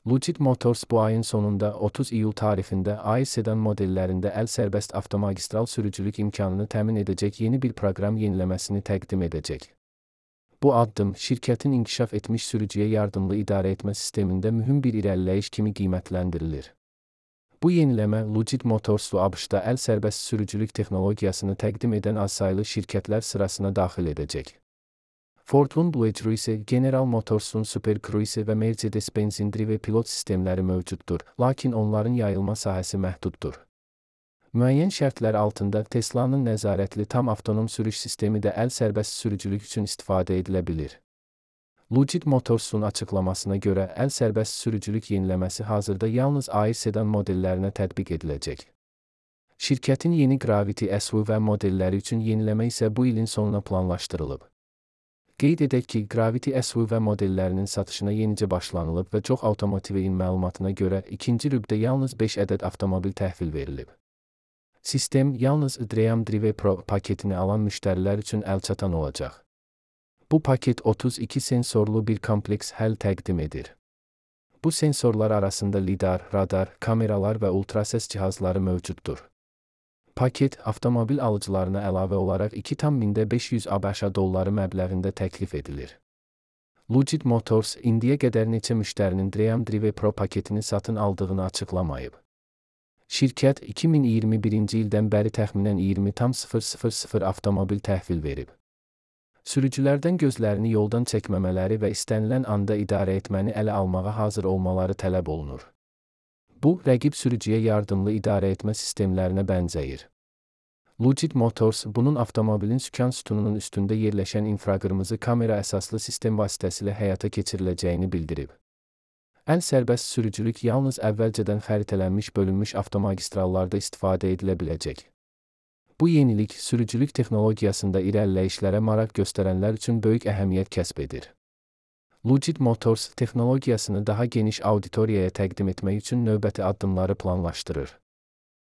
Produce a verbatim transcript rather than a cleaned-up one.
Lucid Motors bu ayın sonunda otuz iyul tarixində A I sedan modellərində əl sərbəst avtomagistral sürücülük imkanını təmin edəcək yeni bir proqram yeniləməsini təqdim edəcək. Bu addım, şirkətin inkişaf etmiş sürücüyə yardımlı idarəetmə sistemində mühüm bir irəliləyiş kimi qiymətləndirilir. Bu yeniləmə Lucid Motors'u ABŞ-da əl sərbəst sürücülük texnologiyasını təqdim edən azsaylı şirkətlər sırasına daxil edəcək. Ford'un Blue Cruise, General Motors'un Super Cruise və Mercedes-Benz'in Drive pilot sistemləri mövcuddur, lakin onların yayılma sahəsi məhduddur. Müəyyən şərtlər altında Tesla'nın nəzarətli tam avtonom sürüş sistemi də əl sərbəst sürücülük üçün istifadə edilə bilir. Lucid Motors'un açıqlamasına görə əl sərbəst sürücülük yeniləməsi hazırda yalnız A I sedan modellərinə tətbiq ediləcək. Şirkətin yeni Gravity S U V modelləri üçün yeniləmə isə bu ilin sonuna planlaşdırılıb. Qeyd edək ki, Gravity S U V modellərinin satışına yenicə başlanılıb və çox avtomotivin məlumatına görə ikinci rübdə yalnız beş ədəd avtomobil təhvil verilib. Sistem yalnız Dream Drive Pro paketini alan müştərilər üçün əlçatan olacaq. Bu paket otuz iki sensorlu bir kompleks həll təqdim edir. Bu sensorlar arasında lidar, radar, kameralar və ultrases cihazları mövcuddur. Paket, avtomobil alıcılarına əlavə olaraq iki min beş yüz ABŞ dolları məbləğində təklif edilir. Lucid Motors indiyə qədər neçə müştərinin Dream Drive Pro paketini satın aldığını açıqlamayıb. Şirkət iki min iyirmi birinci ildən bəri təxminən iyirmi min avtomobil təhvil verib. Sürücülərdən gözlərini yoldan çəkməmələri və istənilən anda idarə etməni ələ almağa hazır olmaları tələb olunur. Bu, rəqib sürücüyə yardımlı idarə etmə sistemlərinə bənzəyir. Lucid Motors bunun avtomobilin sükan sütununun üstündə yerləşən infraqırmızı kamera əsaslı sistem vasitəsilə həyata keçiriləcəyini bildirib. Əl sərbəst sürücülük yalnız əvvəlcədən xəritələnmiş bölünmüş avtomagistrallarda istifadə edilə biləcək. Bu yenilik, sürücülük texnologiyasında irəliləyişlərə maraq göstərənlər üçün böyük əhəmiyyət kəsb edir. Lucid Motors texnologiyasını daha geniş auditoriyaya təqdim etmək üçün növbəti addımları planlaşdırır.